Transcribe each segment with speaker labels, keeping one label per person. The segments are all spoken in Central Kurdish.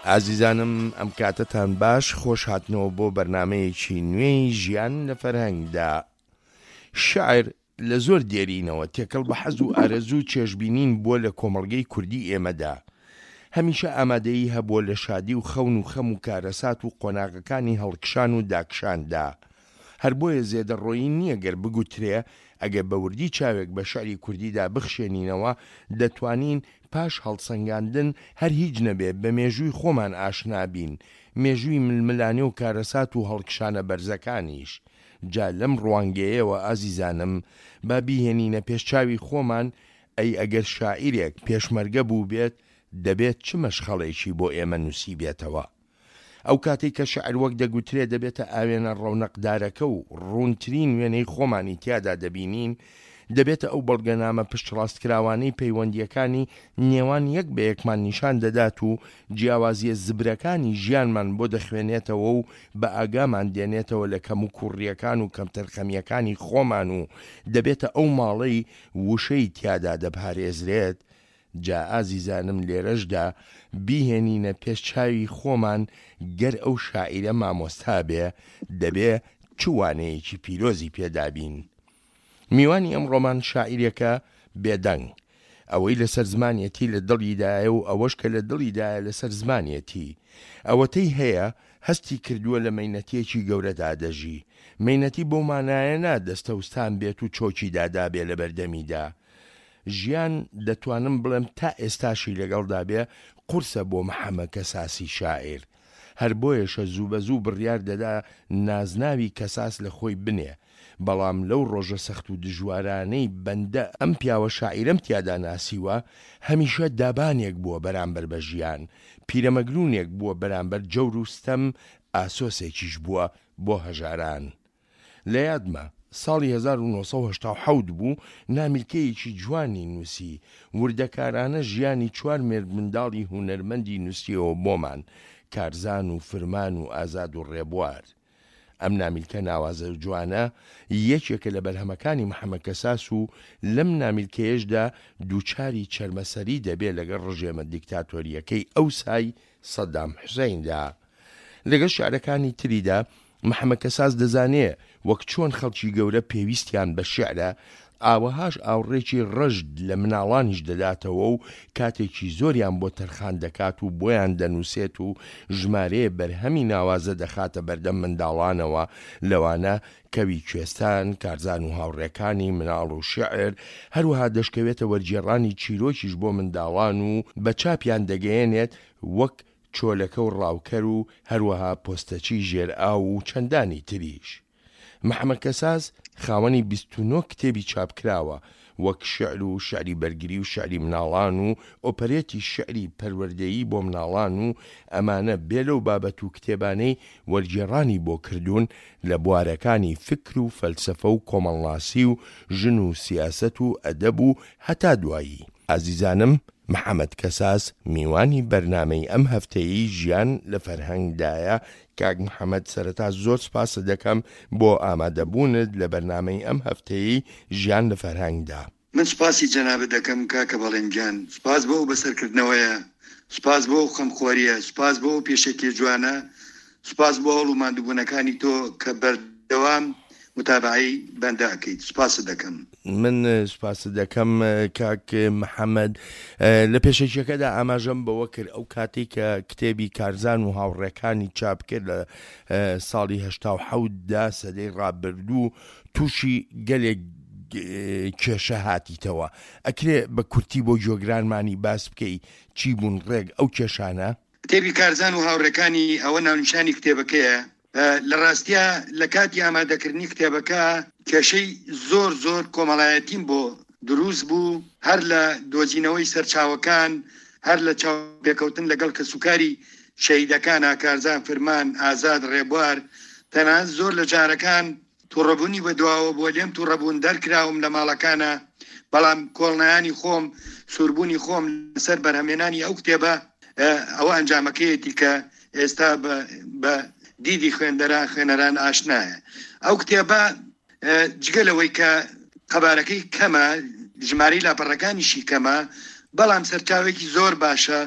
Speaker 1: ئازیزانم ئەم کاتەتان باش خۆش هاتنەوە بۆ بەرنامەیەکی نوێی ژیان لە فەرهەنگدا. شعر لە زۆر دێرینەوە تێکەڵ بە حەز و ئارەزوو و چێژبینین بووە لە کۆمەڵگەی کوردی ئێمەدا. هەمیشە ئامادەیی هەبووە لە شادی و خەون و خەم و کارەسات و قۆناغەکانی هەڵکشان و داکشاندا. هەر بۆیە زێدەڕۆیی نییە گەر بگوترێ ئەگەر بە وردی چاوێک بە شعری کوردیدا بخشێنینەوە دەتوانین پاش هەڵسەنگاندن هەر هیچ نەبێ بە مێژووی خۆمان ئاشنا بین، مێژووی ململانێ و کارەسات و هەڵکشانە بەرزەکانیش. جا لەم ڕوانگەیەوە ئازیزانم با بیهێنینە پێش چاوی خۆمان، ئەی ئەگەر شاعیرێک پێشمەرگە بووبێت دەبێت چ مەشخەڵێکی بۆ ئێمە نووسیبێتەوە؟ ئەو کاتەی کە شیعر وەک دەگوترێ دەبێتە ئاوێنە ڕەونەقدارەکە و ڕوونترین وێنەی خۆمانی تیادا دەبینین، دەبێتە ئەو بەڵگەنامە پشتڕاستکراوانەی پەیوەندییەکانی نێوان یەک بە یەکمان نیشان دەدات و جیاوازییە زبرەکانی ژیانمان بۆ دەخوێنێتەوە و بە ئاگامان دێنێتەوە لە کەموکووڕییەکان و کەمتەرخەمییەکانی خۆمان و دەبێتە ئەو ماڵەی وشەی تیادا دەپارێزرێت جا ئازیزانم لێرەشدا بیهێنینە پێش چاوی خۆمان گەر ئەو شاعیرە مامۆستا بێ دەبێ چ وانەیەکی پیرۆزی پێ دابین؟ میوانی ئەمڕۆمان شاعیرێکە بێدەنگ. ئەوەی لەسەر زمانیەتی لە دڵیدایە و ئەوەش کە لە دڵیدایە لەسەر زمانیەتی. ئەوەتەی هەیە هەستی کردووە لە مەینەتیەکی گەورەدا دەژی. مەینەتی بەو مانایە نا دەستەوستان بێت و چۆکی دادابێ لەبەردەمیدا. ژیان دەتوانم بڵێم تا ئێستاشی لەگەڵدا بێ قورسە بۆ محەمە کەساسی شاعیر. هەر بۆیەشە زووبەزوو بڕیار دەدا نازناوی کەساس لە خۆی بنێ. بەڵام لەو ڕۆژە سەخت و دژوارانەی بەندە ئەم پیاوە شاعیرەم تیادا ناسیوە، هەمیشە دابانێک بووە بەرامبەر بە ژیان، پیرەمەگروونێک بووە بەرامبەر جەور و ستەم، ئاسۆسێکیش بووە بۆ هەژاران. لە یادمە ساڵی 1987 بوو نامیلکەیەکی جوانی نووسی، وردەکارانە ژیانی چوار مێردمنداڵی هونەرمەندی نووسیەوە بۆمان، کارزان و فرمان و ئازاد و ڕێبوار. ئەم نامیلکە ناوازە و جوانە یەکێکە لە بەرهەمەکانی محەمەد کەساس و لەم نامیلکەیەشدا دووچاری چەرمەسەری دەبێ لەگەڵ ڕژێمە دیکتاتۆرییەکەی ئەوسای سەدام حوسەیندا. لەگەڵ شیعرەکانی تریدا محەمەد کەساس دەزانێ وەک چۆن خەڵکی گەورە پێویستیان بە شیعرە، ئاوەهاش ئاوڕێکی ڕژد لە مناڵانیش دەداتەوە و کاتێکی زۆریان بۆ تەرخان دەکات و بۆیان دەنووسێت و ژمارەیە بەرهەمی ناوازە دەخاتە بەردەم منداڵانەوە لەوانە کەوی کوێستان، کارزان و هاوڕێکانی، مناڵ و شیعر، هەروەها دەشکەوێتە وەرگێڕانی چیرۆکیش بۆ منداڵان و بە چاپیان دەگەیەنێت وەک چۆلەکە و ڕاوکەر و هەروەها پۆستەچی ژێرئاو و چەندانی تریش. محەمەد کەساس خاوەنی 29 کتێبی چاپکراوە وەک شیعر و شیعری بەرگری و شیعری مناڵان و ئۆپەرێتی شیعری پەروەردەیی بۆ مناڵان و ئەمانە بێ لەو بابەت و کتێبانەی وەرگێڕانی بۆ کردوون لە بوارەکانی فیکر و فەلسەفە و کۆمەڵناسی و ژن و سیاسەت و ئەدەب و هەتا دوایی. ئازیزانم محەمەد کەساس میوانی بەرنامەی ئەم هەفتەیەی ژیان لە فەرهەنگ دایە، کاک محەمەد سەرەتا زۆر سپاست دەکەم بۆ ئامادەبوونت لە بەرنامەی ئەم هەفتەیەی ژیان لە فەرهەنگ دا.
Speaker 2: من سوپاسی جەنابت دەکەم کاکە بەڵێن گیان، سوپاس بۆ ئەو بەسەرکردنەوەیە، سوپاس بۆ ئەو خەمخۆرییە، سوپاس بۆ ئەو پێشەکیە جوانە، سوپاس بۆ هەوڵ و ماندووبوونەکانی تۆ کە بەردەوام متابەعەی بەندە ئەکەیت، سوپاست دەکەم.
Speaker 1: من سوپاست دەکەم کاک محەمەد. لە پێشەکیەکەدا ئاماژەم بەوە کرد ئەو کاتەی کە کتێبی کارزان و هاوڕێکانی چاپ کرد لە ساڵی 87 دا سەدەی ڕابردوو تووشی گەلێک کێشە هاتیتەوە ئەکرێ بە کورتی بۆ گوێگرانمانی باس بکەی چی بوون ڕێک ئەو کێشانە؟
Speaker 2: کتێبی کارزان و هاوڕێکانی ئەوە ناونیشانی کتێبەکەیە. لە ڕاستیا لە کاتی ئامادەکردنی کتێبەکە کێشەی زۆر زۆر کۆمەڵایەتیم بۆ دروست بوو، هەر لە دۆزینەوەی سەرچاوەکان، هەر لە چاوپێکەوتن لەگەڵ کەسوکاری شەهیدەکانا، کارزان فرمان، ئازاد ڕێبوار، تەنانەت زۆر لە جارەکان توڕەبونی بە دواوە بوە لێم توڕەبون دەرکراوم لە ماڵەکانا بەڵام کۆڵنەیانی خۆم سوربونی خۆم لەسەر بەرهەمێنانی ئەو کتێبە ئەوە ئەنجامەکەیەتی کە ئێستا بە دیدی خوێندەران خوێنەران ئاشنایە ئەو کتێبە جگە لەوەی کە قەبارەکەی کەمە ژمارەی لاپەڕەکانیشی کەمە بەڵام سەرچاوێکی زۆر باشە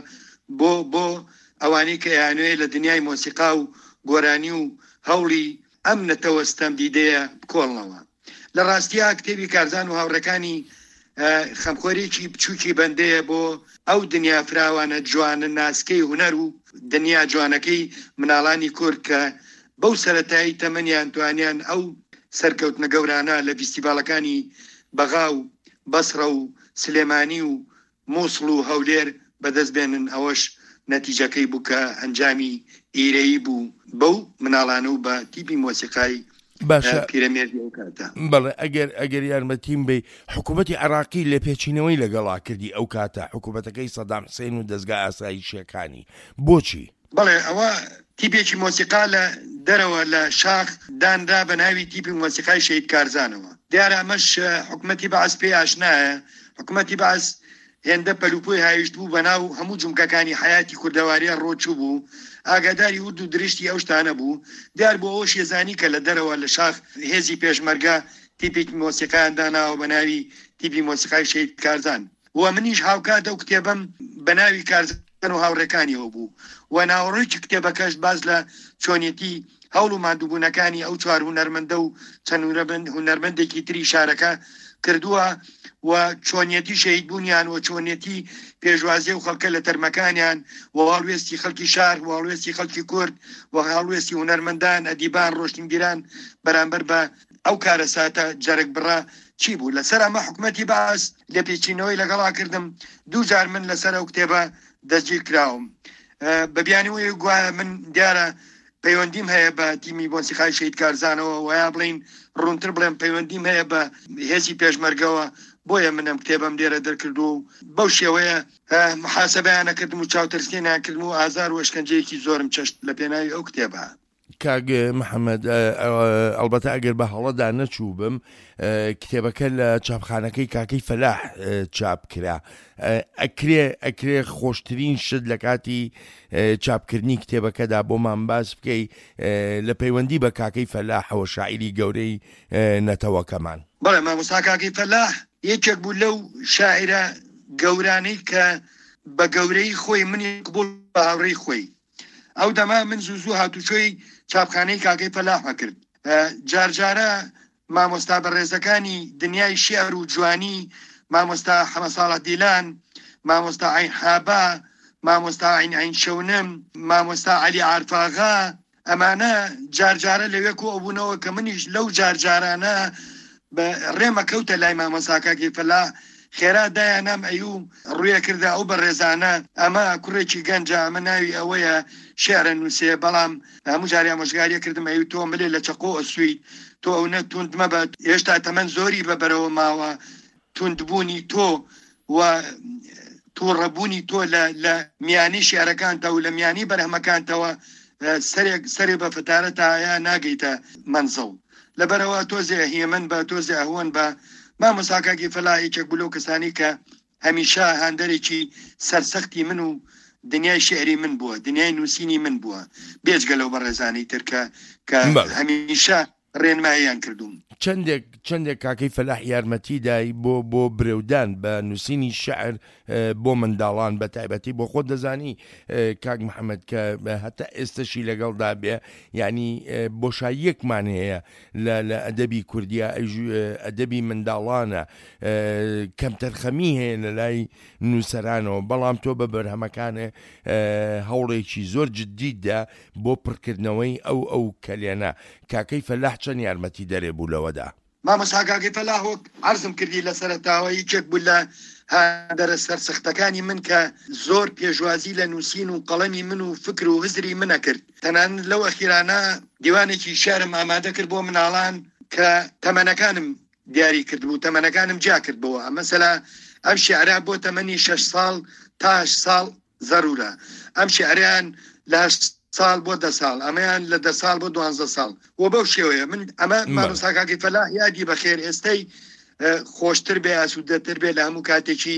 Speaker 2: بۆ بۆ. ئەوانەی کە ئەیانەوێ لە دنیای مۆسیقا و گۆرانی و هەوڵی ئەم نەتەوە ستەمدیدەیە بکۆڵنەوە. لە ڕاستیا کتێبی کارزان و هاوڕێکانی خەمخۆرێکی بچووکی بەندەیە بۆ ئەو دنیا فراوانە جوانە ناسکەی هونەر و دنیا جوانەکەی مناڵانی کورد کە بەو سەرەتایی تەمەنیان توانیان ئەو سەرکەوتنە گەورانە لە ڤیستیڤاڵەکانی بەغا و بەسڕە و سلێمانی و موسڵ و هەولێر بەدەست بێنن، ئەوەش نەتیجەکەی بوو کە ئەنجامی ئیرەیی بوو بەو مناڵانە و بە تیپی مۆسیقای
Speaker 1: باشە
Speaker 2: پیرەمێردی ئەو کاتە.
Speaker 1: بەڵێ ئەگەر ئەگەر یارمەتیم بەی حکوومەتی عێراقی لێپێچینەوەی لەگەڵا کردی ئەو کاتە حکوومەتەکەی سەدام حسین و دەزگا ئاسایشیەکانی بۆچی؟
Speaker 2: بەڵێ ئەوە تیپێکی مۆسیقا لە دەرەوە لە شاخ دانرا بە ناوی تیپی مۆسیقای شەهید کارزانەوە. دیارە ئەمەش حکومەتی بەعس پێی ئاشنایە. حکومەتی بەعس هێندە پەلوپۆی هاویشتبوو بە ناو هەموو جومگەکانی حەیاتی کوردەواریا ڕۆچووبوو، ئاگاداری ورد و درشتی ئەو شتانە بوو. دیار بوو ئەوەشی زانی کە لە دەرەوە لە شاخ هێزی پێشمەرگە تیپێکی مۆسیقایان داناوە بە ناوی تیپی مۆسیقای شەهید کارزان. و منیش هاوکات ئەو کتێبەم بە ناوی کارزان و هاوڕێکانیەوە بوو و ناوەڕۆکی کتێبەکەش باس لە چۆنیەتی هەوڵ و ماندووبوونەکانی ئەو چوار هونەرمەندە و چەند هونەرمەندێکی تری شارەکە کردووە و چۆنیەتی شەهیدبوونیان و چۆنیەتی پێشوازی و خەڵکە لە تەرمەکانیان و هەڵوێستی خەڵکی شار و هەڵوێستی خەڵکی کورد و هەڵوێستی هونەرمەندان، ئەدیبان، ڕۆشنبیران بەرامبەر بە ئەو کارەساتە جەرگبڕە چی بوو؟ لەسەر ئەمە حکومەتی بەعس لێپێچینەوەی لەگەڵا کردم، دووجار من لەسەر ئەو کتێبە دەستگیر کراوم بە بیانووی گوایە من دیارە پەیوەندیم هەیە بە تیمی مۆسیقای شەهید کارزانەوە و یا بڵێین ڕوونتر بڵێم پەیوەندیم هەیە بە هێزی پێشمەرگەوە، بۆیە من ئەم کتێبەم لێرە دەرکردووە و بەو شێوەیە محاسەبەیان ئەکردم و چاوترسێنیان کردم و ئازار و ئەشکەنجەیەکی زۆرم چەشت لە پێناوی ئەو کتێبە.
Speaker 1: کاک محەممەد ئەڵبەتە ئەگەر بە هەڵەدا نەچووبم کتێبەکە لە چاپخانەکەی کاکەی فەلاح چاپ کرا ئەکرێ ئەکرێ خۆشترین شت لە کاتی چاپکردنی کتێبەکەدا بۆمان باس بکەی لە پەیوەندی بە کاکەی فەلاحەوە شاعیری گەورەی نەتەوەکەمان.
Speaker 2: بەڵێ مامۆستا کاکەی فەلاح یەکێک بوو لەو شاعیرە گەورانەی کە بە گەورەی خۆی منی قبوڵ بە هاوڕێی خۆی ئەو دەمە من زوو زوو هاتوچۆی چاپخانەی کاکەی فەلاح ئەکرد. جارجارە مامۆستا بەڕێزەکانی دنیای شیعر و جوانی، مامۆستا حەمەساڵح دیلان، مامۆستا عەین حابا، مامۆستا عەین عەین شەونم، مامۆستا عەلی عارفاغا، ئەمانە جارجارە لەوێ کۆ ئەبوونەوە کە منیش لەو جارجارانە بە ڕێمە کەوتە لای مامۆستا کاکی فەلاح خێرا دایانام ئەیوو ڕووێ کردە ئەو بەڕێزانە ئەمە کوڕێکی گەنجە ئەمە ناوی ئەوەیە شیعرە نووسێ بەڵام هەموو جارێ ئامۆژگاریە کردم ئەیوو تۆ ملێ لە چەقۆ ئەسوویت تۆ ئەونە توند مەبە هێشتا تەمەن زۆری بە بەرەوە ماوە توندبوونی تۆ و تووڕەبوونی تۆ لە لە میانی شیعرەکانتەوە و لە میانی بەرهەمەکانتەوە سەرێک سەرێ بە فتارە تایە ناگەیتە مەنزڵ لەبەرئەوە تۆزێ هێمن بە تۆزێ ئەهوەن بە مامۆستا کاکی فەلاح یەکێک بوو لەو کەسانی کە هەمیشە هاندەرێکی سەرسەختی من و دنیای شیعری من بووە دنیای نووسینی من بووە بێجگە لەو بەڕێزانەی تر کە کە هەمیشە ڕێنماییان کردووم.
Speaker 1: چەندێک چەندێک کاکەی فەلاح یارمەتی دای بۆ بۆ برەودان بە نووسینی شعر بۆ منداڵان بە تایبەتی بۆ خۆت دەزانی کاک محەممەد کە هەتا ئێستەشی لەگەڵدا بێ یعنی بۆشاییەکمان هەیە لە لە ئەدەبی کوردیا ئەدەبی منداڵانە کەمتەرخەمی هەیە لە لای نووسەرانەوە بەڵام تۆ بە بەرهەمەکانێ هەوڵێکی زۆر جددیدا بۆ پڕکردنەوەی ئەو ئەو کەلێنە، کاکەی فەلاح چەند یارمەتی دەرێ بوو لەوەدا؟
Speaker 2: مامۆستا کاکەی فەلاح وەک عەرزم کردی لە سەرەتاوە یەکێک بوو لە هاندەرە سەرسەختەکانی من کە زۆر پێشوازی لە نووسین و قەڵەمی من و فکر و هزری من ئەکرد تەنانەت لەو ئەخیرانە دیوانێکی شیعرم ئامادە کرد بۆ مناڵان کە تەمەنەکانم دیاری کردبوو تەمەنەکانم جیا کردبۆوە مەسەلا ئەم شیعرە بۆ تەمەنی شەش ساڵ تا هەشت ساڵ زەرورە ئەم شیعرەیان لە هەشت ساڵ بۆ دە ساڵ ئەمەیان لە دە ساڵ بۆ دوانزە ساڵ و بەو شێوەیە من ئەمە مامۆستا کاکی فەلاح یادی بەخێر ئێستەی خۆشتر بێ ئاسوودەتر بێ لە هەموو کاتێکی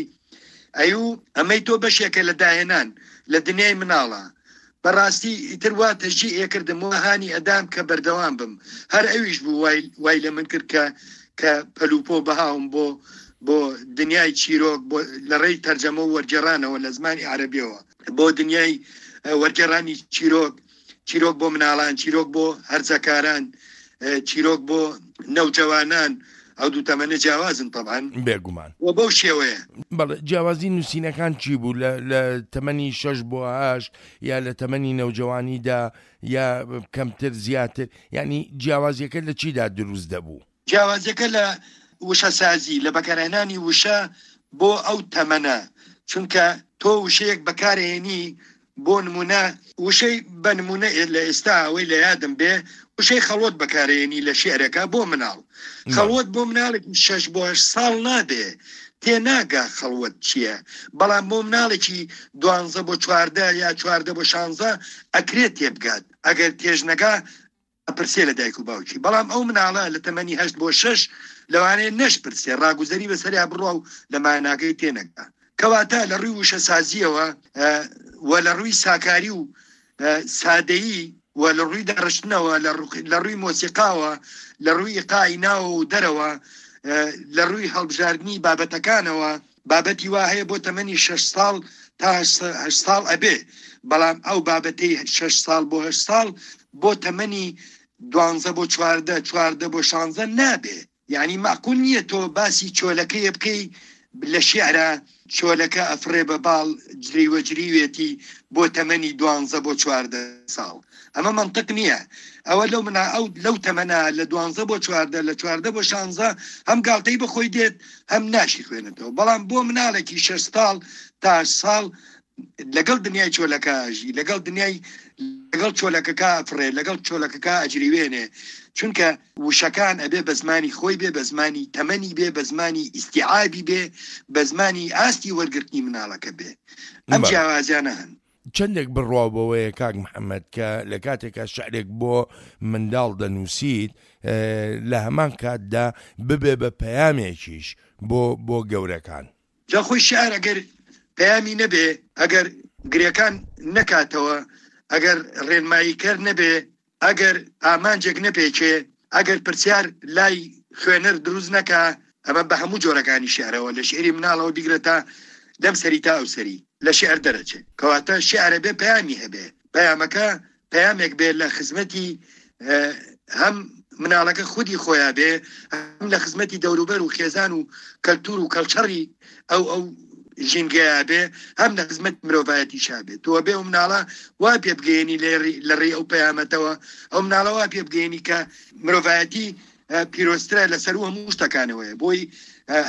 Speaker 2: ئەیو ئەمەی تۆ بەشێکە لە داهێنان لە دنیای مناڵە بەڕاستی ئیتر وا تەشجیع ئەکردم وا هانی ئەدام کە بەردەوام بم هەر ئەویش بوو وای وای لە من کرد کە کە پەلوپۆ بهاوم بۆ بۆ دنیای چیرۆک بۆ لە ڕێی تەرجەمە و وەرگێڕانەوە لە زمانی عەرەبیەوە بۆ دنیای وەرگێڕانی چیرۆک، چیرۆک بۆ مناڵان، چیرۆک بۆ هەرزەکاران، چیرۆک بۆ نەوجەوانان، ئەو دوو تەمەنە جیاوازن تەبعەن.
Speaker 1: بێگومان.
Speaker 2: و بەو شێوەیە.
Speaker 1: بەڵێ، جیاوازی نووسینەکان چی بوو لە لە تەمەنی شەش بۆ هەشت یا لە تەمەنی نەوجەوانیدا یا کەمتر زیاتر، یانی جیاوازییەکە لە چیدا دروست دەبوو؟
Speaker 2: جیاوازیەکە لە وشەسازی، لە بەکارهێنانی وشە بۆ ئەو تەمەنە، چونکە تۆ وشەیەک بەکارئەهێنی بۆ نمونە وشەی بە نمونە لە ئێستا ئەوەی لە یادم بێ وشەی خەڵوەت بەکارئەهێنی لە شیعرەکە بۆ مناڵ، خەڵوەت بۆ مناڵێکی شەش بۆ هەشت ساڵ نابێ تێناگا خەڵوەت چیە، بەڵام بۆ مناڵێکی دوانزە بۆ 14 یا 14 بۆ شانزە ئەکرێ تێبگات، ئەگەر تێشنەگا ئەپرسێ لە دایک و باوکی، بەڵام ئەو مناڵە لە تەمەنی هەشت بۆ شەش لەوانەیە نەشپرسێ، ڕاگوزەری بەسەریا بڕوا و لە ماناکەی تێنەگا. کەواتە لە ڕووی وشەسازییەوە و لە ڕووی ساکاری و سادەیی و لە ڕووی داڕشتنەوە، لە ڕووی مۆسیقاوە، لە ڕووی ئیقاعی ناوەوە و دەرەوە، لە ڕووی هەڵبژاردنی بابەتەکانەوە، بابەتی وا هەیە بۆ تەمەنی شەش ساڵ تا هەشت ساڵ ئەبێ، بەڵام ئەو بابەتەی شەش ساڵ بۆ هەشت ساڵ بۆ تەمەنی دوانزە بۆ 14، 14 بۆ شانزە نابێ. یانی مەعقول نییە تۆ باسی چۆلەکەیە بکەی لە شیعرا چۆلەکە ئەفڕێ بە باڵ جریوە جریوێتی بۆ تەمەنی دوانزە بۆ 14 ساڵ. ئەمە مەنتق نییە. ئەوە لەو منا ئەو لەو تەمەنە لە دوانزە بۆ 14 لە 14 بۆ شانزە هەم گاڵتەی بە خۆی دێت هەم ناشی خوێنێتەوە. بەڵام بۆ مناڵێکی شەش ساڵ تا هەشت ساڵ لەگەڵ دنیای چۆلەکە ئەژی، لەگەڵ دنیای لەگەڵ چۆلەکەکە ئەفڕێ، لەگەڵ چۆلەکەکە ئەجریوێنێ. چونکە وشەکان ئەبێ بە زمانی خۆی بێ، بە زمانی تەمەنی بێ، بە زمانی ئیستیعابی بێ، بە زمانی ئاستی وەرگرتنی مناڵەکە بێ. ئەم جیاوازیانە هەن.
Speaker 1: چەندێک بڕواو بەوەیە کاک محەمەد کە لە کاتێکا شعرێک بۆ منداڵ دەنووسیت لە هەمان کاتدا ببێ بە پەیامێکیش بۆ بۆ گەورەکان؟
Speaker 2: جا خۆی شیعر ئەگەر پەیامی نەبێ، ئەگەر گرێکان نەکاتەوە، ئەگەر ڕێنماییکەر نەبێ، ئەگەر ئامانجێک نەپێکێ، ئەگەر پرسیار لای خوێنەر دروست نەکا، ئەمە بە هەموو جۆرەکانی شیعرەوە، لە شیعری مناڵەوە بیگرە تا لەم سەری تا ئەو سەری، لە شیعر دەرەچێ. کەواتە شیعر ئەبێ پەیامی هەبێ، پەیامەکە پەیامێک بێ لە خزمەتی هەم مناڵەکە خودی خۆیا بێ، هەم لە خزمەتی دەوروبەر و خێزان و کەلتور و کەڵچەڕی ئەو ئەو ژینگەیا بێ، هەم لە خزمەت مرۆڤایەتیشا بێ. تۆ ئەبێ ئەو مناڵە وا پێ بگەیەنی لە ڕێی ئەو پەیامەتەوە، ئەو مناڵە وا پێ بگەیەنی کە مرۆڤایەتی پیرۆزترە لە سەروو هەموو شتەکانەوەیە، بۆی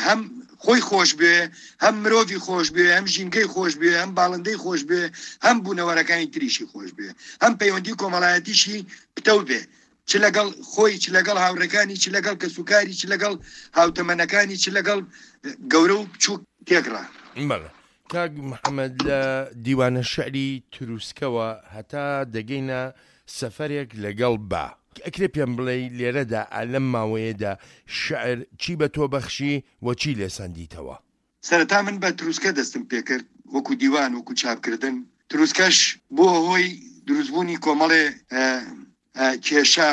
Speaker 2: هەم خۆی خۆش بوێ، هەم مرۆڤی خۆش بوێ، هەم ژینگەی خۆش بوێ، هەم باڵندەی خۆش بوێ، هەم بوونەوەرەکانی تریشی خۆش بوێ، هەم پەیوەندی کۆمەڵایەتیشی پتەو بێ، چ لەگەڵ خۆی، چ لەگەڵ هاوڕێکانی، چ لەگەڵ کەسوکاری، چ لەگەڵ هاوتەمەنەکانی، چ لەگەڵ گەورە و بچووک تێکڕا.
Speaker 1: بەڵێ کاک محەمەد لە دیوانە شعری تروسکەوە هەتا دەگەینە سەفەرێک لەگەڵ با. ئەکرێ پێم بڵێی لێرەدا ئا لەم ماوەیەدا شعر چی بە تۆ بەخشی و چی لێ سەندیتەوە؟
Speaker 2: سەرەتا من بە تروسکە دەستم پێکرد وەکو دیوان وەکو چاپکردن، تروسکەش بووە هۆی دروستبوونی کۆمەڵێ کێشە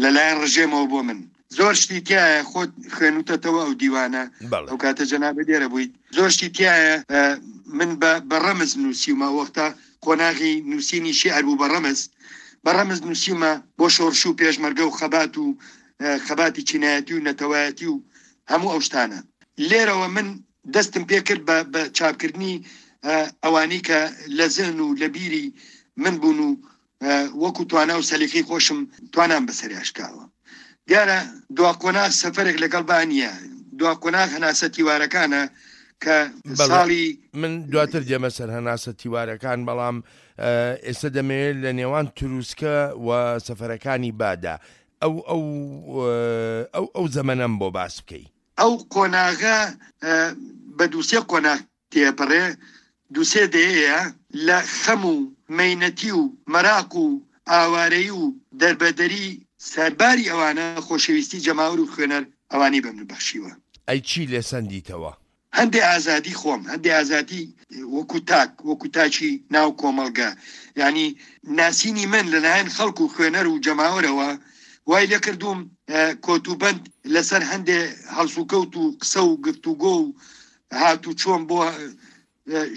Speaker 2: لەلایەن ڕژێمەوە بۆ من. زۆر شتی تیایە خۆت خوێنوتەتەوە ئەو دیوانە ئەو کاتە جەنابت لێرە بوویت زۆر شتی تیایە من بە ڕەمز نووسیومە وەختە قۆناغی نووسینی شیعر بوو بە ڕەمز بە ڕەمز نووسیومە بۆ شۆڕش و پێشمەرگە و خەبات و خەباتی چینایەتی و نەتەوایەتی و هەموو ئەو شتانە. لێرەوە من دەستم پێ کرد بە بە چاپکردنی ئەوانەی کە لە زهن و لە بیری من بوون و وەکو توانا و سەلیقەی خۆشم توانام بەسەریا شکاوە. دیارە دوا قۆناغ سەفەرێک لەگەڵ با نییە، دوا قۆناغ هەناسە تیوارەکانە کە
Speaker 1: بەڵێ
Speaker 2: ساڵی.
Speaker 1: من دواتر دێمە سەر هەناسە تیوارەکان، بەڵام ئێستا دەمەوێت لە نێوان تروسکە و سەفەرەکانی بادا ئەو ئەو ئەو ئەو زەمەنەم بۆ باس بکەی.
Speaker 2: ئەو قۆناغە بە دووسێ قۆناغ تێپەڕێ، دووسێ دەیەیە لە خەم و مەینەتی و مەراق و ئاوارەیی و دەربەدەری، سەرباری ئەوانە خۆشەویستی جەماوەر و خوێنەر ئەوانەی بە من بەخشیوە.
Speaker 1: ئەی چی لێ سەندیتەوە؟
Speaker 2: هەندێ ئازادی خۆم، هەندێ ئازادی وەکو تاک، وەکو تاکی ناو کۆمەڵگە، یانی ناسینی من لەلایەن خەڵک و خوێنەر و جەماوەرەوە وای لێکردووم کۆتوبەند لەسەر هەندێ هەڵسوکەوت و قسە و گفتوگۆ و هاتوچۆم بۆ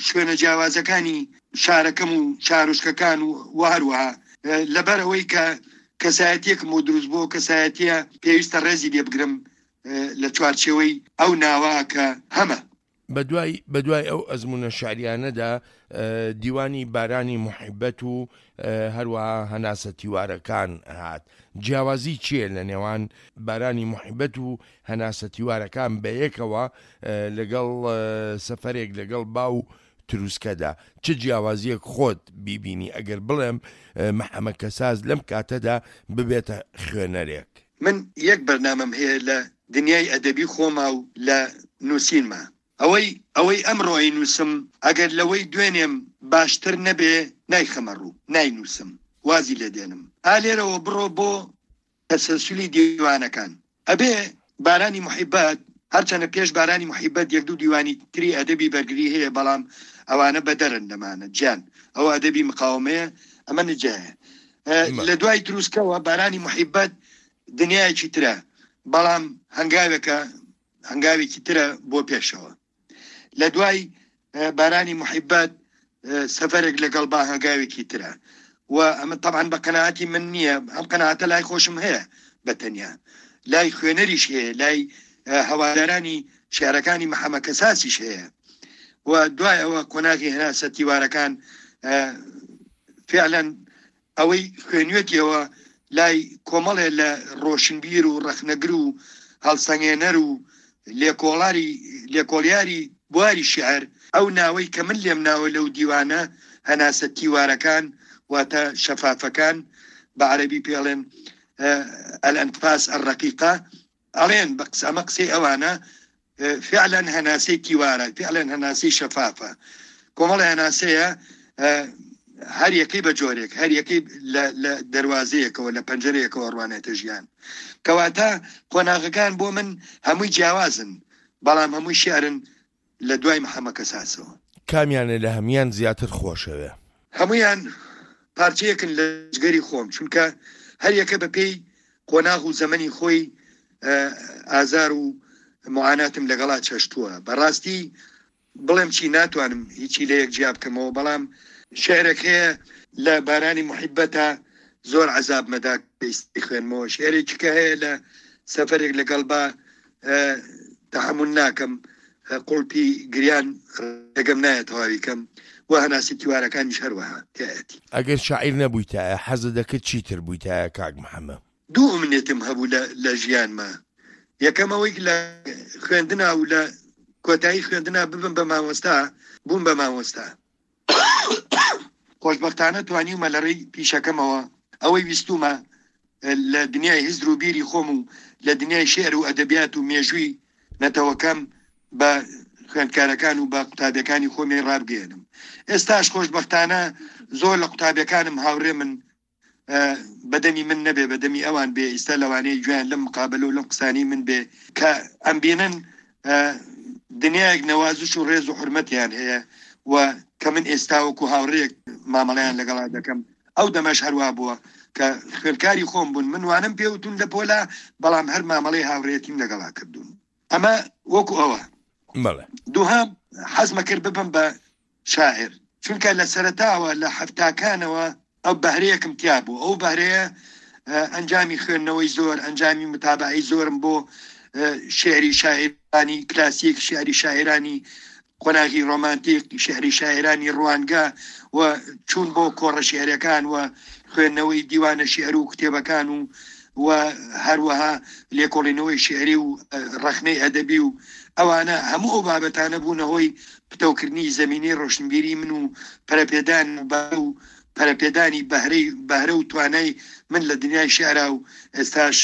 Speaker 2: شوێنە جیاوازەکانی شارەکەم و شارۆچکەکان و وە هەروەها لەبەر ئەوەی کە کەسایەتیەکم بۆ دروست بووە کەسایەتیە پێویستە ڕێزی لێ بگرم لە چوارچێوەی ئەو ناوە کە هەمە.
Speaker 1: بەدوای بەدوای ئەو ئەزموونە شعریانەدا دیوانی بارانی موحیبەت و هەروەها هەناسە تیوارەکان هات. جیاوازی چییە لە نێوان بارانی موحیبەت و هەناسە تیوارەکان بەیەکەوە لەگەڵ سەفەرێک لەگەڵ با و تروسکەدا؟ چ جیاوازییەک خۆت بیبینی ئەگەر بڵێم محەمە کەساس لەم کاتەدا ببێتە خوێنەرێک؟
Speaker 2: من یەک بەرنامەم هەیە لە دنیای ئەدەبی خۆما و لە نووسینما. ئەوەی ئەوەی ئەمڕۆ ئەینووسم ئەگەر لەوەی دوێنێم باشتر نەبێ نایخەمە ڕوو، ناینووسم، وازی لێ دێنم. ئا لێرەوە بڕۆ بۆ تەسەلسولی دیوانەکان. ئەبێ بارانی موحیبەت، هەرچەنە پێش بارانی موحیبەت یەک دوو دیوانی تری ئەدەبی بەرگری هەیە بەڵام ئەوانە بەدەرن لەمانە، جیان. ئەوە ئەدەبی مقاوەمەیە، ئەمە نجایە. لە دوای تروسکەوە بارانی موحیبەت دنیایەکی ترە، بەڵام هەنگاوێکە، هەنگاوێکی ترە بۆ پێشەوە. لە دوای بارانی محیبەت سەفەرێک لەگەڵ با هەنگاوێکی ترە و ئەمە تەبعەن بە قەناعەتی من نییە، ئەم قەناعەتە لای خۆشم هەیە بە تەنیا، لای خوێنەریش هەیە، لای هەوادارانی شیعرەکانی محەمە کەساسیش هەیە. و دوای ئەوە قۆناغی هەناسە تیوارەکان فعلەن ئەوەی خوێنوێتیەوە لای کۆمەڵێ لە ڕۆشنبیر و ڕەخنەگر و هەڵسەنگێنەر و لێکۆڵاری لێکۆڵیاری بواری شیعر، ئەو ناوەی کە من لێم ناوە لەو دیوانە، هەناسە تیوارەکان، واتە شەفافەکان، بە عەرەبی پێ ئەڵێن، الانفاس الرقیقە، ئەڵێن بە قسە ئەمە قسەی ئەوانە فعلا هەناسەی تیوارە فعلا هەناسەی شەفافە کۆمەڵی هەناسەیە هەر یەکەی بە جۆرێک هەر یەکەی لە دەواازەیەکەوە لە پەنجەرەیەکەوە ڕوانێتە ژیان کەواتە قۆناغەکان بۆ من هەمووی جیاوازن بەڵام هەمووی شعرن لە دوای محەمە کەساسەوە.
Speaker 1: کامیانە لە هەموان زیاتر خۆشەوێ؟
Speaker 2: هەموویان پارچەیەکن لە جگەری خۆم، چونکە هەر یەکە بە پێی قۆناغ و زەمەنی خۆی ئازار و موعاناتم لەگەڵا چەشتووە. بە ڕاستی بڵێم چی ناتوانم هیچی لە یەک جیا بکەمەوە، بەڵام شیعرێک هەیە لە بارانی موحیبەتە زۆر عەزابمەدا کە ئیستا خوێنمەوە، شیعرێکی کە هەیە لە سەفەرێک لەگەڵ با تەحەمول ناکەم قوڵپی گریان ڕێگەم نایە تەواوی کەم و هەناسی تیوارەکانیش هەروەها تیایەتی.
Speaker 1: ئەگەر شاعیر نەبوویتایە حەزت دەکرد چیتر بوویتایە کاک محەمە؟
Speaker 2: دوو ئومنێتم هەبوو لە لە ژیانما یەکەم ئەوەی لە خوێندنا و لە کۆتایی خوێندنا ببم بە مامۆستا بووم بە مامۆستا خۆشبەختانە توانیومە لە ڕێی پیشەکەمەوە ئەوەی ویستومە لە دنیای هزر و بیری خۆم و لە دنیای شیعر و ئەدەبیات و مێژووی نەتەوەکەم بە خوێندکارەکان و بە قوتابیەکانی خۆمی ڕابگەیەنم. ئێستاش خۆشبەختانە زۆر لە قوتابیەکانم هاوڕێمن بە دەمی من نەبێ بە دەمی ئەوان بێ، ئیستا لەوانەیە گوێیان لەم مقابەلە و لەم قسانەی من بێ کە ئەمبینن دنیایەک نەوازش و ڕێز و حورمەتیان هەیە و کە من ئێستا وەکو هاوڕێیەک مامەڵەیان لەگەڵا دەکەم ئەو دەمەش هەروا بووە کە خوێندکاری خۆم بوون من وانەم پێ وتون لە پۆلا بەڵام هەر مامەڵەی هاوڕێیەتیم لەگەڵا کردوون ئەمە وەکو ئەوە.
Speaker 1: بەڵێ.
Speaker 2: دووهەم حەزمە کرد ببم بە شاعیر چونکە لە سەرەتاوە لە حەفتاکانەوە ئەو بەهرەیەکم تیا بوو ئەو بەهرەیە ئەنجامی خوێندنەوەی زۆر ئەنجامی متابعەی زۆرم بۆ شعری شاعرانی کلاسیک شعری شاعرانی قۆناغی ڕۆمانتیک شعری شاعرانی ڕوانگە و چوون بۆ کۆڕە شعرەکان و خوێندنەوەی دیوانە شعر و کتێبەکان و و هەروەها لێکۆڵینەوەی شیعری و ڕەخنەی ئەدەبی و ئەوانە هەموو ئەو بابەتانە بوونە هۆی پتەوکردنی زەمینەی ڕۆشنبیری من و پەرەپێدان و پەرەپێدانی بەهرەی بەهرە و توانای من لە دنیای شیعرا و ئێستاش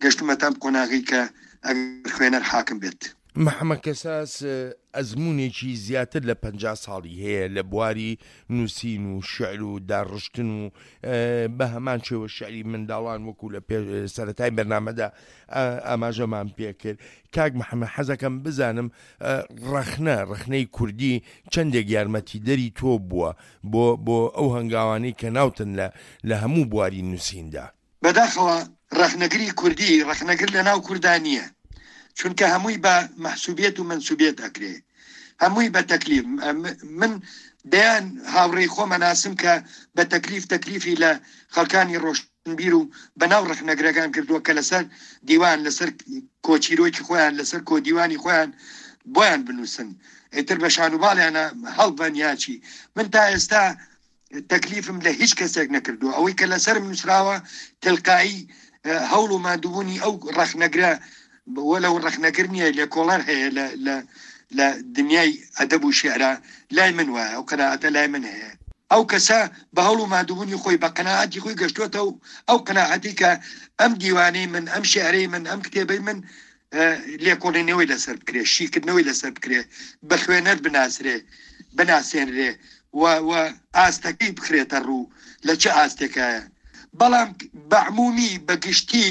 Speaker 2: گەشتومەتە ئەم قۆناغەی کە ئەگەر خوێنەر حاکم بێت.
Speaker 1: محەمەد کەساس ئەزموونێکی زیاتر لە 50 ساڵی هەیە لە بواری نووسین و شعر و داڕشتن و بە هەمان شێوە شعری منداڵان وەکو لە سەرەتای بەرنامەدا ئاماژەمان پێکرد کاک محەممەد حەزەکەم بزانم ڕەخنە ڕەخنەی کوردی چەندێک یارمەتیدەری تۆ بووە بۆ بۆ ئەو هەنگاوانەی کە ناوتن لە لە هەموو بواری نووسیندا.
Speaker 2: بەداخەوە ڕەخنەگری کوردی ڕەخنەگر لە ناو کوردا نییە چونکە هەمووی بە مەحسوبیەت و مەنسوبیەت ئەکرێ. هەمووی بە تەکلیف. من دەیان هاوڕێی خۆم ئەناسم کە بە تەکلیف تەکلیفی لە خەڵکانی ڕۆشنبیر و بەناو ڕەخنەگرەکان کردووە کە لەسەر دیوان، لەسەر کۆچیرۆکی خۆیان، لەسەر کۆدیوانی خۆیان بۆیان بنووسن. ئیتر بە شانوباڵیانە هەڵبەن یا چی. من تا ئێستا تەکلیفم لە هیچ کەسێک نەکردووە. ئەوەی کە لەسەرم نووسراوە تلقایی هەوڵ و ماندووبوونی ئەو ڕەخنەگرە وەلەو ڕەخنەگر نییە لێکۆڵەر هەیە لە لە لە دنیای ئەدەب و شیعرا لای من وایە ئەو قەناعەتە لای من هەیە. ئەو کەسە بە هەوڵ و ماندووبوونی خۆی بە قەناعەتی خۆی گەشتووەتە ئەو قەناعەتەی کە ئەم دیوانەی من، ئەم شیعرەی من، ئەم کتێبەی من لێکۆڵینەوەی لەسەر بکرێ، شیکردنەوەی لەسەر بکرێ، بە خوێنەر بناسرێ، بناسێنرێ و و ئاستەکەی بخرێتە ڕوو لە چ ئاستێکایە. بەڵام بە عموومی، بە گشتی،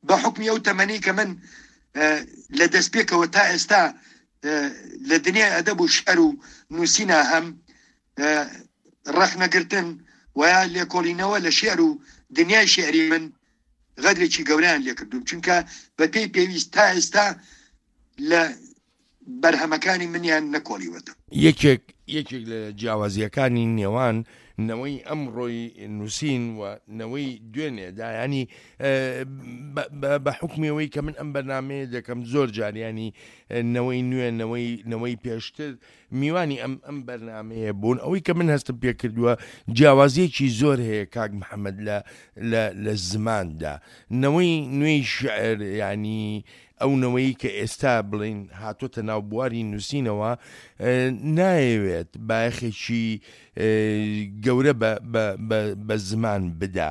Speaker 2: بە حوکمی ئەو تەمەنەی کە من لە دەستپێکەوە تا ئێستا لە دنیای ئەدەب و شیعر و نووسینا هەم، ڕەخنەگرتن و یا لێکۆڵینەوە لە شیعر و دنیای شیعری من غەدرێکی گەورەیان لێکردووم، چونکە بە پێی پێویست تا ئێستا لە بەرهەمەکانی منیان نەکۆڵیوەتەوە.
Speaker 1: یەکێک یەکێک لە جیاوازییەکانی نێوان نەوەی ئەمڕۆی نووسین و نەوەی دوێنێ دا یانی بە حوکمی ئەوەی کە من ئەم بەرنامەیە دەکەم زۆر جار یانی نەوەی نوێ نەوەی نەوەی پێشتر میوانی ئەم ئەم بەرنامەیە بوون ئەوەی کە من هەستم پێ کردووە جیاوازیەکی زۆر هەیە کاک محەممەد لە لە لە زماندا نەوەی نوێی شعر ینی ئەو نەوەی کە ئێستا بڵین هاتۆتە ناو بواری نووسینەوە نایەوێت بایەخێکی گەورە بە زمان بدا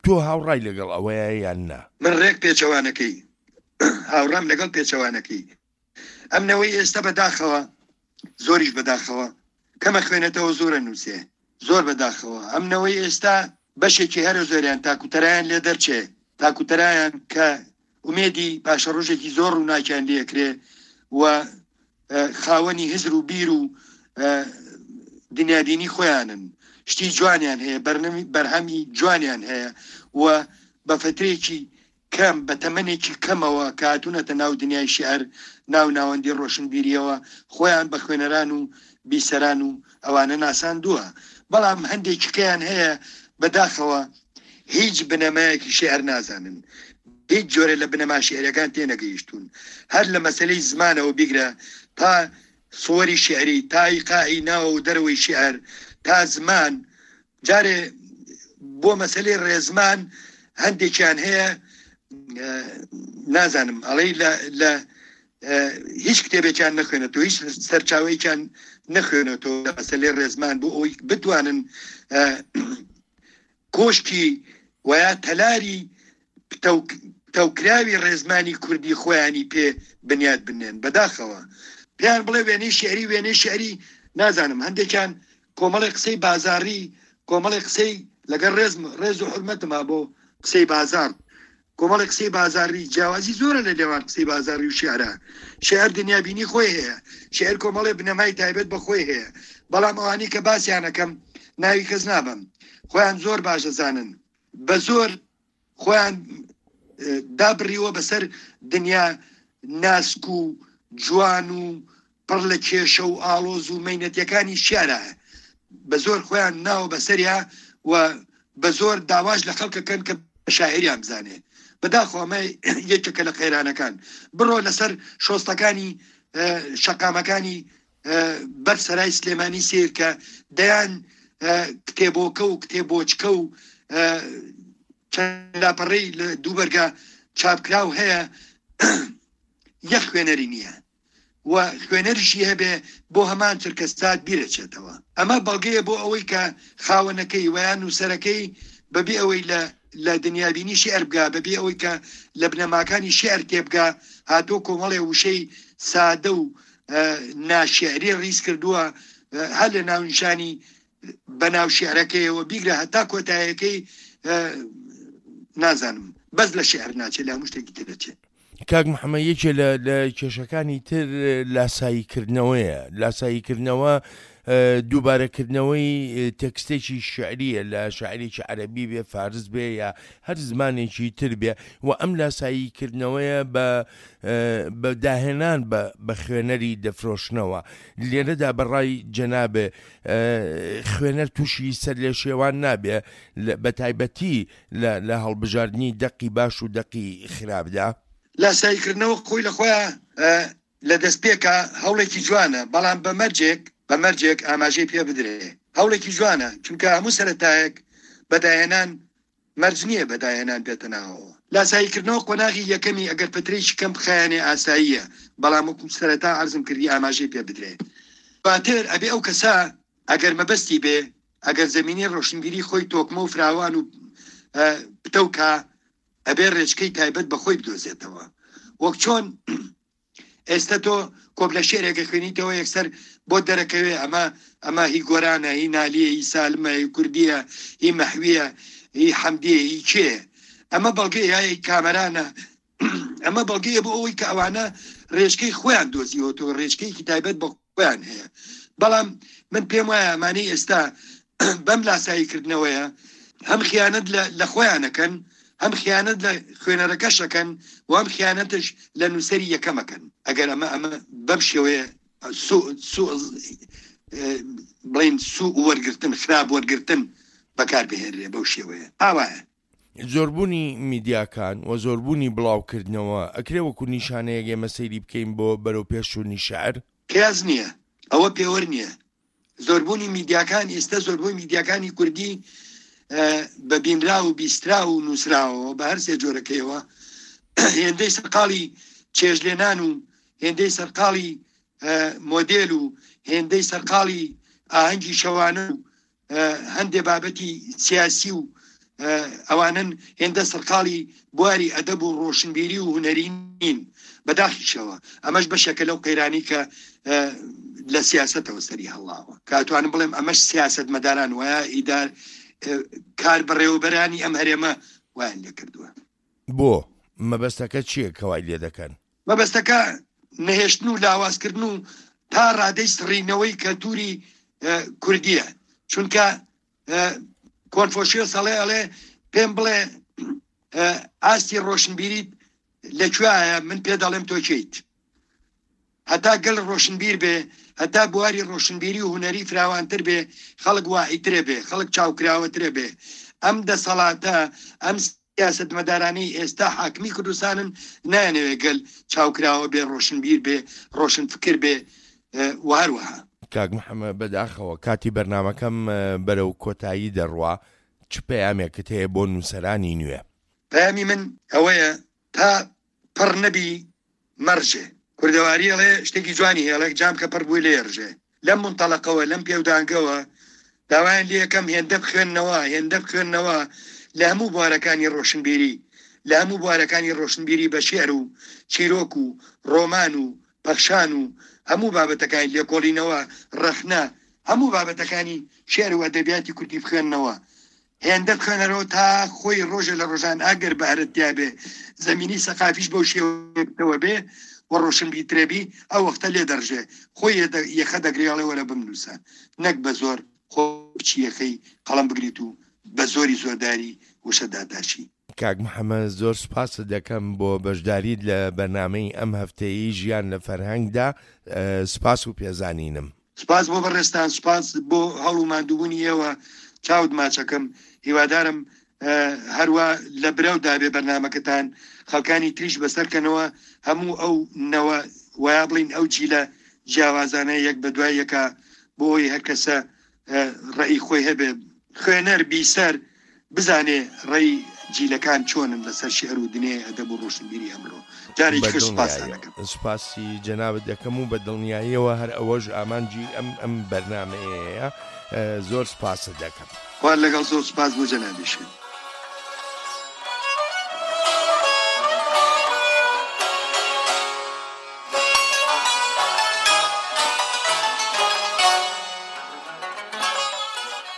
Speaker 1: تۆ هاوڕای لەگەڵ ئەوەیە یان نا؟
Speaker 2: من ڕێک پێچەوانەکەی هاوڕام لەگەڵ پێچەوانەکەی ئەم نەوەی ئێستا بەداخەوە زۆریش بەداخەوە کەمە خوێنێتەوە زۆرە نووسێ زۆر بەداخەوە ئەم نەوەی ئێستا بەشێکی هەرە زۆریان تاکوتەرایان لێ دەرچێ تاکوتەرایان کە ئومێدی پاشەڕۆژێکی زۆر ڕووناکیان لێکرێ و خاوەنی هزر و بیر و دنیابینی خۆیانن شتی جوانیان هەیە بەرهەمی جوانیان هەیە و بە فترێکی کەم، بە تەمەنێکی کەمەوە کە هاتوونەتە ناو دنیای شیعر، ناو ناوەندی ڕۆشنبیرییەوە، خۆیان بە خوێنەران و بیسەران و ئەوانە ناساندووە. بەڵام هەندێکیکەیان هەیە بە داخەوە هیچ بنەمایەکی شیعر نازانن، هیچ جۆرێ لە بنەما شیعرییەکان تێنەگەیشتوون. هەر لە مەسەلەی زمانەوە بیگرە تا سوەری شیعری، تا ئیقاعی ناوە و دەرەوەی شیعر، تا زمان، جارێ بۆ مەسەلەی ڕێزمان هەندێکیان هەیە نازانم ئەڵێی لە لە هیچ کتێبێکیان نەخوێنێتەوە هیچ سەرچاوەیەکیان نەخوێنێتەوە لە مەسەلەی ڕێزمان بۆ ئەوەی بتوانن کۆشکی ویا تەلاری پتەوکراوی ڕێزمانی کوردی خۆیانی پێ بنیات بنێن بەداخەوە پێیان بڵێ وێنەی شیعری وێنەی شیعری نازانم هەندێکیان کۆمەڵێ قسەی بازاڕی کۆمەڵێ قسەی لەگەڵ ڕێزم ڕێز و حورمەتم ها بۆ قسەی بازاڕ کۆمەڵێ قسەی بازاڕی جیاوازی زۆرە لە نێوان قسەی بازاڕی و شیعرا شیعر دنیابینی خۆی هەیە شیعر کۆمەڵێ بنەمای تایبەت بە خۆی هەیە بەڵام ئەوانەی کە باسیانەکەم ناوی کەس نابەم خۆیان زۆر باش دەزانن بە زۆر خۆیان دابڕیوە بەسەر دنیا ناسک و جوان و پڕ لە کێشە و ئاڵۆز و مەینەتیەکانی شیعرا بە زۆر خۆیان ناوە بەسەریا و بە زۆر داواش لە خەڵکەکەن کە شاعریان بزانێ بەداخەوە ئەمە یەکێکە لە قەیرانەکان بڕۆ لەسەر شۆستەکانی شەقامەکانی بەر سەرای سلێمانی سیر کە دەیان کتێبۆکە و کتێبۆچکە و چەند لاپەڕەی لە دووبەرگە چاپکراو هەیە یەک خوێنەری نییە و خوێنەریشی هەبێ بۆ هەمان چرکەسات بیرەچێتەوە. ئەمە بەڵگەیە بۆ ئەوەی کە خاوەنەکەی وە یان نووسەرەکەی بەبێ ئەوەی لە لە دنیابینی شیعر بگا، بەبێ ئەوەی کە لە بنەماکانی شیعر تێبگا، هاتووە کۆمەڵێ وشەی سادە و ناشیعری ڕیز کردووە، هەر لە ناونیشانی بەناو شیعرەکەیەوە بیگرە هەتا کۆتایەکەی نازانم بەس لە شیعر ناچێ لە هەموو شتێکی تر دەچێ.
Speaker 1: کاک محەممەد یەکێ لە لە کێشەکانی تر لاساییکردنەوەیە لاساییکردنەوە. دووبارەکردنەوەی تێکستێکی شیعرییە لە شاعیرێکی عەرەبی بێ، فارس بێ یا هەر زمانێکی تر بێ و ئەم لاساییکردنەوەیە بە بە داهێنان بە بە خوێنەری دەفرۆشنەوە. لێرەدا بە ڕای جەنابێ خوێنەر تووشی سەرلێشێوان نابێ بە تایبەتی لە لە هەڵبژاردنی دەقی باش و دەقی خراپدا؟
Speaker 2: لاساییکردنەوە خۆی لە خۆیا لە دەستپێکا هەوڵێکی جوانە، بەڵام بە مەرجێک، بە مەرجێک ئاماژەی پێ بدرێ. هەوڵێکی جوانە، چونکە هەموو سەرەتایەک بە داهێنان مەرج نییە بە داهێنان بێتە ناوەوە. لاساییکردنەوە قۆناغی یەکەمی ئەگەر پەترەیەکی کەم بخایەنێ ئاساییە، بەڵام وەکو سەرەتا عەرزم کردی ئاماژەی پێ بدرێ. دواتر ئەبێ ئەو کەسە ئەگەر مەبەستی بێ، ئەگەر زەمینەی ڕۆشنبیری خۆی تۆکمە و فراوان و پتەو کا، ئەبێ ڕێچکەی تایبەت بە خۆی بدۆزێتەوە. وەک چۆن ئێستە تۆ کۆپلە شێرێک ئەخوێنیتەوە یەکسەر بۆت دەرەکەوێ ئەمە ئەمە هی گۆرانە، هی نالیە، هی سالمە، هی کوردیە، هی مەحویە، هی حەمدیە، هی کێیە. ئەمە بەڵگەیە یا هی کامەرانە. ئەمە بەڵگەیە بۆ ئەوەی کە ئەوانە ڕێچکەی خۆیان دۆزیوەتەوە، ڕێچکەیەکی تایبەت بە خۆیان هەیە. بەڵام من پێم وایە ئەمانەی ئێستا بەم لاساییکردنەوەیە هەم خیانەت لە خۆیان ئەکەن، هەم خیانەت لە خوێنەرەکەش ئەکەن و هەم خیانەتش لە نووسەری یەکەم ئەکەن. ئەگەر ئەمە ئەمە بەم شێوەیە سوء سوء بڵێین سوء وەرگرتن، خراپ وەرگرتن بەکار بهێنرێ بەو شێوەیە ئاوایە.
Speaker 1: زۆربوونی میدیاکان و زۆربوونی بڵاوکردنەوە ئەکرێ وەکو نیشانەیەک ئێمە سەیری بکەین بۆ بەرەوپێشچوونی شیعر؟
Speaker 2: قیاس نییە، ئەوە پێوەر نییە. زۆربوونی میدیاکان، ئێستا زۆربوونی میدیاکانی کوردی بە بینراو و بیستراو و نووسراوەوە بە هەر سێ جۆرەکەیەوە هێندەی سەرقاڵی چێژلێنان و هێندەی سەرقاڵی مۆدێل و هێندەی سەرقاڵی ئاهەنگی شەوانە و هەندێ بابەتی سیاسی و ئەوانەن هێندە سەرقاڵی بواری ئەدەب و ڕۆشنبیری و هونەری نین بەداخیشەوە ئەمەش بەشێکە لەو قەیرانی کە لە سیاسەتەوە سەری هەڵاوە کە ئەتوانم بڵێم ئەمەش سیاسەتمەداران وایە ئیدار کار بەڕێوەبەرانی ئەم هەرێمە وایان لێکردووە.
Speaker 1: بۆ؟ مەبەستەکە چییە کە وای لێدەکەن؟
Speaker 2: مەبەستەکە نەهێشتن و لاوازکردن و تا ڕادەی سڕینەوەی کەلتوری کوردیە چونکە کۆنفۆشیۆس ئەڵێ ئەڵێ پێم بڵێ ئاستی ڕۆشنبیریت لە کوێایە من پێ دەڵێم تۆ کێیت هەتا گەل ڕۆشنبیر بێ هەتا بواری ڕۆشنبیری و هونەری فراوانتر بێ خەڵک واعیترە بێ خەڵک چاوکراوەترە بێ ئەم دەسەڵاتە ئەم سیاسەتمەدارانەی ئێستا حاکمی کوردستانن نایانەوێ گەل چاوکراوە بێ، ڕۆشنبیر بێ، ڕۆشنفکر بێ و هەروەها.
Speaker 1: کاک محەمەد بەداخەوە کاتی بەرنامەکەم بەرەو کۆتایی دەڕوا، چ پەیامێکت هەیە بۆ نووسەرانی نوێ؟
Speaker 2: پەیامی من ئەوەیە تا پڕ نەبی مەڕژێ. کوردەواری ئەڵێ شتێکی جوانی هەیە ئەڵێ جام کە پڕ بووی لێ ڕژێ. لەم مونتەڵەقەوە، لەم پێودانگەوە داوایان لێ ئەکەم هێندە بخوێننەوە، هێندە بخوێننەوە لە هەموو بوارەکانی ڕۆشنبیری، لە هەموو بوارەکانی ڕۆشنبیری بە شیعر و چیرۆک و ڕۆمان و پەخشان و هەموو بابەتەکانی لێکۆڵینەوە، ڕەخنە، هەموو بابەتەکانی شیعر و ئەدەبیاتی کوردی بخوێننەوە. هێندە بخوێنەرەوە تا خۆی ڕۆژێ لە ڕۆژان ئەگەر بەهرەت تیا بێ زەمینەی سەقافیش بەو شێوەیە بێ و ڕۆشنبیرترە بی ئەو وەختە لێ دەڕژێ خۆی یەخە دەگرێ ئەڵێ وەرە بمنووسە نەک بە زۆر خۆ بچی یەخەی قەڵەم بگریت و بە زۆری زۆرداری وشە داتاشی.
Speaker 1: کاک محەمەد زۆر سوپاست دەکەم بۆ بەشداریت لە بەرنامەی ئەم هەفتەیەی ژیان لە فەرهەنگدا سوپاس و پێزانینم.
Speaker 2: سوپاس بۆ بەڕێزتان سوپاس بۆ هەوڵ و ماندووبوونی ئێوە چاوت ماچەکەم هیوادارم هەروا لە برەو دابێ بەرنامەکەتان خەڵکانی تریش بەسەر کەنەوە هەموو ئەو نەوە ویا بڵین ئەو جیلە جیاوازانە یەک بە دوای یەکا بۆ ئەوی هەر کەسە ڕەئی خۆی هەبێ خوێنەر بیسەر بزانێ ڕێی جیلەکان چۆنن لەسەر شیعر و دنیای ئەدەب و ڕۆشنبیری ئەمڕۆ. جارێکی تر سوپاستان
Speaker 1: ئەکەم. سوپاسی جەنابت دەکەم و بە دڵنیاییەوە هەر ئەوەش ئامانجی ئەم ئەم بەرنامەیەیە. زۆر سوپاست دەکەم.
Speaker 2: خوات لەگەڵ زۆر سوپاس بۆ جەنابیشت.